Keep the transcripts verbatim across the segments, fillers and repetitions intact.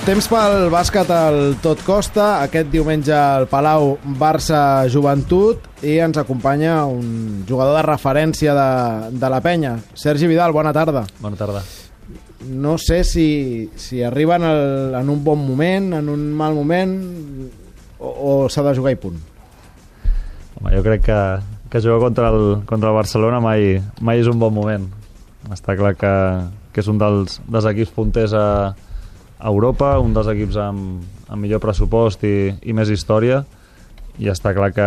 Temps pel bàsquet al Tot Costa. Aquest diumenge al Palau, Barça Joventut, i ens acompanya un jugador de referència de, de la penya. Sergi Vidal, bona tarda. Bona tarda. No sé si, si arriben el, en un bon moment, en un mal moment, o, o s'ha de jugar i punt. Home, jo crec que, que jugar contra el, contra el Barcelona mai, mai és un bon moment. Està clar que, que és un dels, dels equips punters a a Europa, un dels equips amb, amb millor pressupost i, i més història, i està clar que,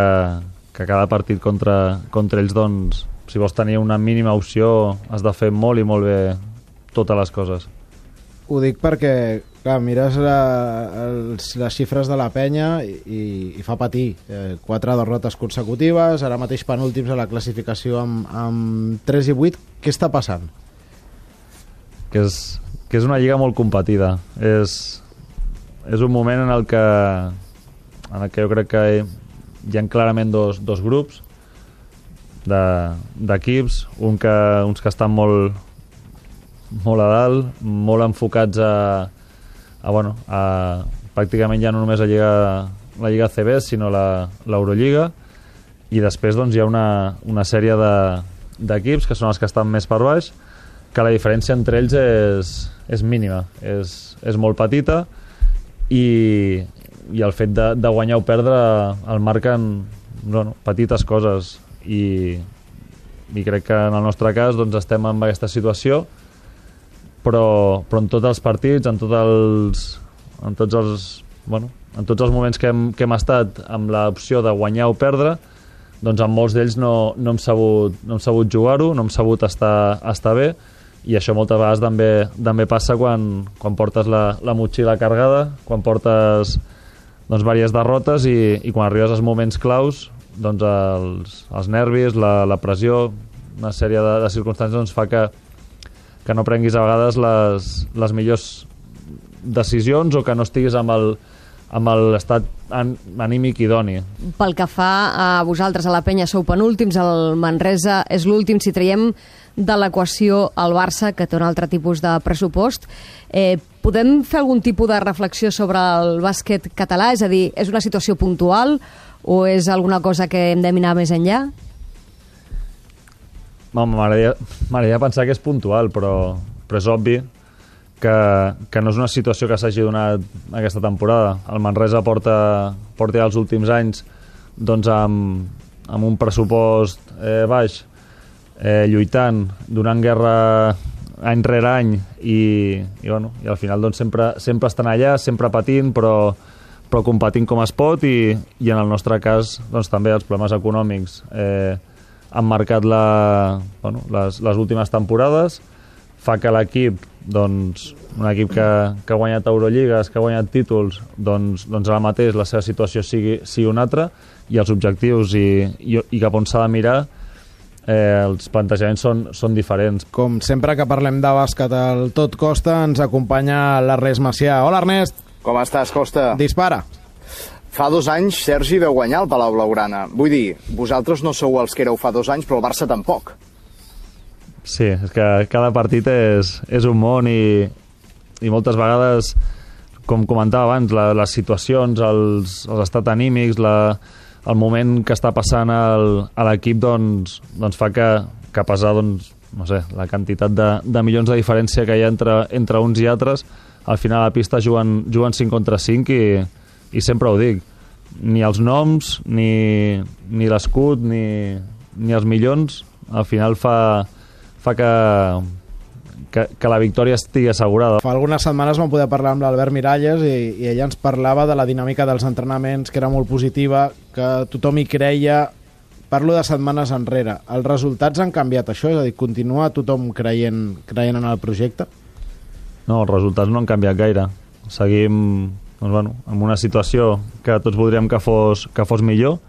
que cada partit contra, contra ells, doncs, si vols tenir una mínima opció, has de fer molt i molt bé totes les coses. Ho dic perquè, clar, mires la, els, les xifres de la penya i, i fa patir. Eh, quatre derrotes consecutives, ara mateix penúltims a la classificació amb, amb tres i vuit. Què està passant? Que és... que és una lliga molt competida. És, és un moment en el que en el que jo crec que hi ha clarament dos, dos grups d'equips, de, un que, uns que estan molt, molt a dalt, molt enfocats a, a, bueno, a pràcticament ja no només a Lliga, la Lliga C B, sinó l'Eurolliga, i després doncs, hi ha una, una sèrie d'equips de, que són els que estan més per baix, que la diferència entre ells és, és mínima, és, és molt petita, i, i el fet de, de guanyar o perdre el marquen, bueno, petites coses, i, i crec que en el nostre cas doncs, estem en aquesta situació, però, però en tots els partits, en, tot els, en, tots els, bueno, en tots els moments que hem, que hem estat amb l'opció de guanyar o perdre, doncs en molts d'ells no, no hem sabut, no hem sabut jugar-ho, no hem sabut estar, estar bé, i això moltes vegades també, també passa quan, quan portes la, la motxilla carregada, quan portes doncs, diverses derrotes, i, i quan arribes als moments claus, doncs els, els nervis, la, la pressió, una sèrie de, de circumstàncies doncs, fa que, que no prenguis a vegades les, les millors decisions, o que no estiguis amb el amb l'estat anímic idoni. Pel que fa a vosaltres, a la penya, sou penúltims, el Manresa és l'últim. Si traiem de l'equació el Barça, que té un altre tipus de pressupost, eh, podem fer algun tipus de reflexió sobre el bàsquet català? És a dir, és una situació puntual o és alguna cosa que hem de mirar més enllà? M'agradaria pensar que és puntual, però, però és obvi Que, que no és una situació que s'hagi donat aquesta temporada. El Manresa porta, porta els últims anys doncs amb, amb un pressupost eh, baix, eh, lluitant, donant guerra any rere any, i, i, bueno, i al final doncs, sempre, sempre estan allà, sempre patint, però, però competint com es pot, i, i en el nostre cas doncs, també els problemes econòmics eh, han marcat la, bueno, les, les últimes temporades. Fa que l'equip, doncs, un equip que, que ha guanyat Eurolligues, que ha guanyat títols, doncs, doncs ara mateix la seva situació sigui, sigui una altra, i els objectius i, i, i cap on s'ha de mirar, eh, els plantejaments són, són diferents. Com sempre que parlem de bàsquet al Tot Costa, ens acompanya l'Ernest Macià. Hola, Ernest. Com estàs, Costa? Dispara. Fa dos anys Sergi veu guanyar el Palau Blaugrana. Vull dir, vosaltres no sou els que éreu fa dos anys, però el Barça tampoc. Sí, és que cada partit és, és un món, i, i moltes vegades, com comentava abans, la, les situacions, els, els estats anímics, la, el moment que està passant el, a l'equip doncs, doncs fa que, que pesar doncs, no sé, la quantitat de, de milions de diferència que hi ha entre, entre uns i altres, al final a la pista juguen, juguen cinc contra cinc, i, i sempre ho dic, ni els noms, ni, ni l'escut, ni, ni els milions, al final fa... fa que, que, que la victòria estigui assegurada. Fa algunes setmanes vam poder parlar amb l'Albert Miralles, i, i ella ens parlava de la dinàmica dels entrenaments, que era molt positiva, que tothom hi creia. Parlo de setmanes enrere. Els resultats han canviat això? És a dir, continua tothom creient, creient en el projecte? No, els resultats no han canviat gaire. Seguim doncs, bueno, en una situació que tots voldríem que fos, que fos millor,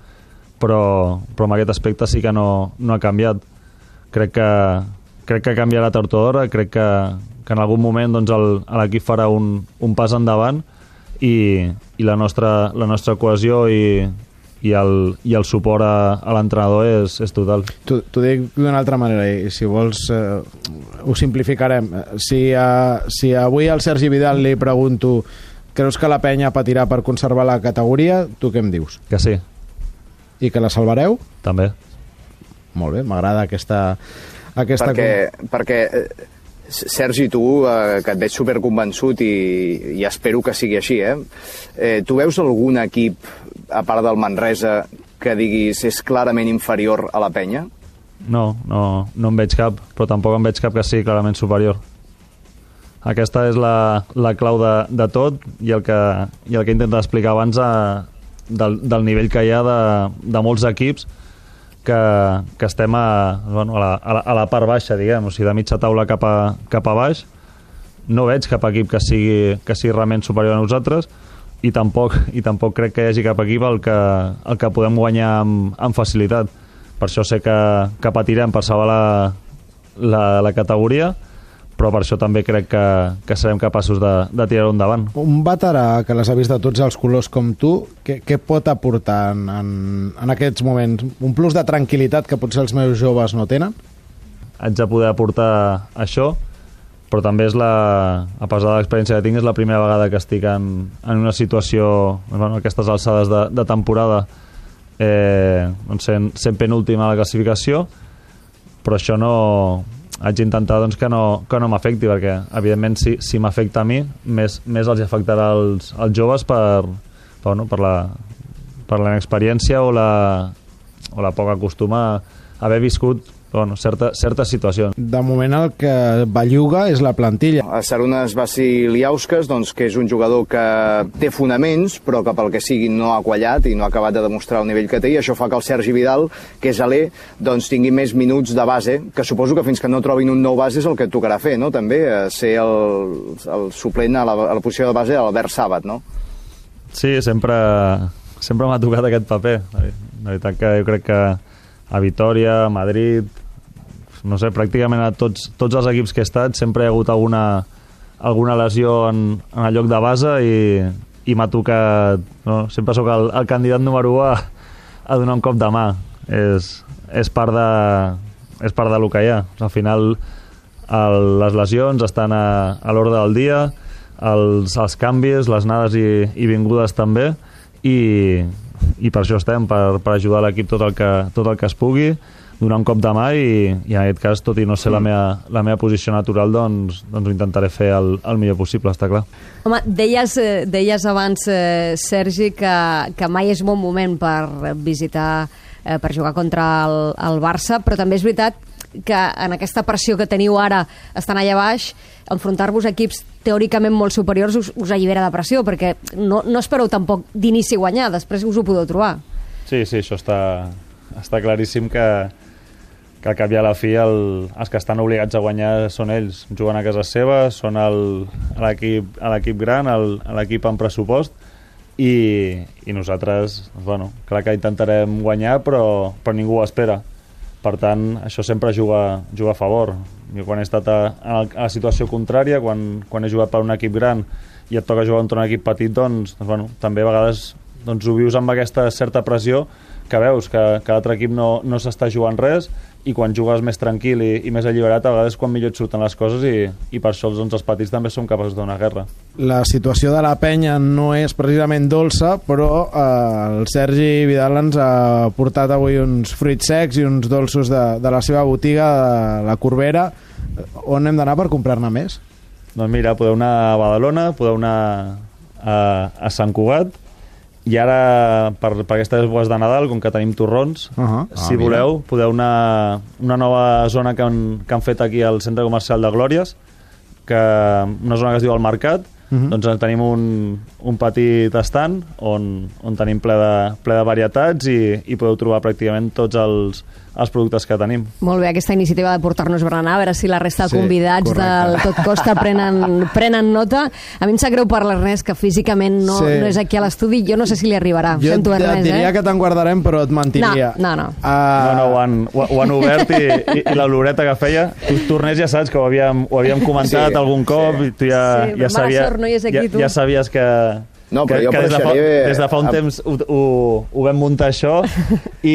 però, però en aquest aspecte sí que no, no ha canviat. Crec que crec que canviarà tard o d'hora, crec que, que en algun moment doncs, l'equip farà un, un pas endavant, i, i la, nostra, la nostra cohesió i, i, el, i el suport a, a l'entrenador és, és total. T'ho dic d'una altra manera, i si vols eh, ho simplificarem. Si, a, si avui al Sergi Vidal li pregunto Creus que la penya patirà per conservar la categoria? Tu què em dius? Que sí. I que la salvareu? També. Molt bé, m'agrada aquesta... aquesta perquè, perquè Sergi, tu, eh, que et veig superconvençut i, i espero que sigui així, eh? eh? Tu veus algun equip, a part del Manresa, que diguis és clarament inferior a la penya? No, no, no en veig cap, però tampoc en veig cap que sigui clarament superior. Aquesta és la, la clau de, de tot i el que, i el que he intentat explicar abans a, del, del nivell que hi ha de, de molts equips que, que estem a, bueno, a, la, a, la, a la part baixa, diguem, o sigui, de mitja taula cap a, cap a baix. No veig cap equip que sigui, que sigui realment superior a nosaltres i tampoc, i tampoc crec que hi hagi cap equip el que, el que podem guanyar amb, amb facilitat. Per això sé que, que patirem per salvar la, la, la categoria, però per això també crec que, que serem capaços de, de tirar-ho endavant. Un veterà que les ha vist de tots els colors com tu, què, què pot aportar en, en, en aquests moments? Un plus de tranquil·litat que potser els meus joves no tenen? Haig de poder aportar això, però també és la, a pesar de l'experiència que tinc, és la primera vegada que estic en, en una situació, bueno, aquestes alçades de, de temporada, eh, doncs sent, sent penúltima a la classificació, però això no... haig d'intentar doncs, que no, que no m'afecti, perquè evidentment si, si m'afecta a mi més, més els afectarà als, als joves per, per, bueno, per, la, per la inexperiència o la, o la poca costum a haver viscut bueno, certa, certes situacions. De moment el que belluga és la plantilla. A Sarunas Vasiliauskas, doncs, que és un jugador que té fonaments, però que pel que sigui no ha quallat i no ha acabat de demostrar el nivell que té, i això fa que el Sergi Vidal, que és alè, doncs tingui més minuts de base, que suposo que fins que no trobin un nou base és el que et tocarà fer, no? També, ser el, el suplent a la, a la posició de base de l'Albert Sàbat, no? Sí, sempre, sempre m'ha tocat aquest paper. La veritat que jo crec que a Vitòria, a Madrid, no sé, pràcticament a tots, tots els equips que he estat sempre hi ha hagut alguna, alguna lesió en, en el lloc de base i, i m'ha tocat, no? Sempre sóc el, el candidat número u a, a donar un cop de mà. És, és part de, és part de lo que hi ha. Al final el, les lesions estan a, a l'ordre del dia, els, els canvis, les anades i, i vingudes també, i, i per això estem, per, per ajudar l'equip tot, el que, tot el que es pugui, donar un cop de mà i, i en aquest cas, tot i no ser la meva, la meva posició natural, doncs, doncs ho intentaré fer el, el millor possible, està clar. Home, deies, deies abans, eh, Sergi, que, que mai és bon moment per visitar, eh, per jugar contra el, el Barça, però també és veritat que en aquesta pressió que teniu ara estan allà baix, enfrontar-vos a equips teòricament molt superiors us, us allibera de pressió, perquè no, no espereu tampoc d'inici guanyar, després us ho podeu trobar. Sí, sí, això està, està claríssim que, que al cap i a la fi el, els que estan obligats a guanyar són ells. Juguen a casa seva, són l'equip gran, l'equip amb pressupost, i, i nosaltres, bueno, clar que intentarem guanyar, però, però ningú ho espera. Per tant, això sempre juga, juga a favor. Jo quan he estat a, a la situació contrària, quan, quan he jugat per un equip gran i et toca jugar contra un equip petit, doncs, doncs bueno, també a vegades doncs, ho vius amb aquesta certa pressió que veus que, que l'altre equip no, no s'està jugant res, i quan jugues més tranquil i, i més alliberat, a vegades quan millor et surten les coses, i, i per això doncs, els petits també som capaços de donar guerra. La situació de la penya no és precisament dolça, però eh, el Sergi Vidal ens ha portat avui uns fruits secs i uns dolços de, de la seva botiga, de la Corbera. On hem d'anar per comprar-ne més? Doncs mira, podeu anar a Badalona, podeu anar a, a Sant Cugat, i ara, per, per aquestes èpoques de Nadal, com que tenim torrons, uh -huh. ah, si voleu, mira. podeu anar a una nova zona que han, que han fet aquí al centre comercial de Glòries, que una zona que es diu El Mercat. Uh -huh. Doncs tenim un, un petit estand on, on tenim ple de, ple de varietats, i, i podeu trobar pràcticament tots els, els productes que tenim. Molt bé, aquesta iniciativa de portar-nos berenar, a veure si la resta de sí, convidats correcte. del Tot Costa prenen, prenen nota. A mi em sap greu per l'Ernest, que físicament no, sí. no és aquí a l'estudi. Jo no sé si li arribarà. Jo Sento, et, Ernest, et diria eh? que te'n guardarem, però et mentiria. No, no, no. Uh... No, no, ho han, ho, ho han obert, i, i, i l'oloreta que feia, tu, Tornés, ja saps que ho havíem, ho havíem comentat sí, algun cop, sí. i tu ja, sí, ja, sabia, sort, no hi és aquí, ja, tu. ja sabies que, No, però que, jo que des, de fa, apareixeré... des de fa un amb- temps ho, ho, ho vam muntar això i,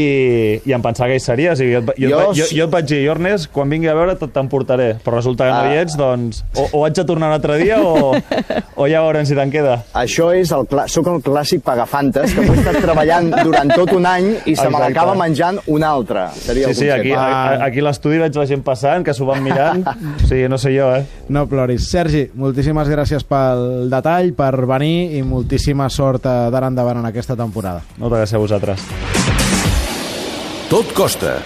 i em pensava que hi series. I jo, et va- jo, Jo jo, jo, s- jo et vaig dir, jo, Ernest, quan vingui a veure tot t'emportaré. Però resulta que no Ah. hi ets, doncs o, o haig de tornar un altre dia o, o ja veurem si te'n queda. Això és el clà... Soc el clàssic pagafantes que he estat treballant durant tot un any i se me Exacte. l'acaba menjant un altre. Seria Sí, el sí, aquí, concepte. a, a- aquí a l'estudi veig la gent passant, que s'ho van mirant. O sigui, no sé jo, eh? No ploris. Sergi, moltíssimes gràcies pel detall, per venir i moltíssima sort d'ara endavant en aquesta temporada. Moltes gràcies a vosaltres. Tot costa.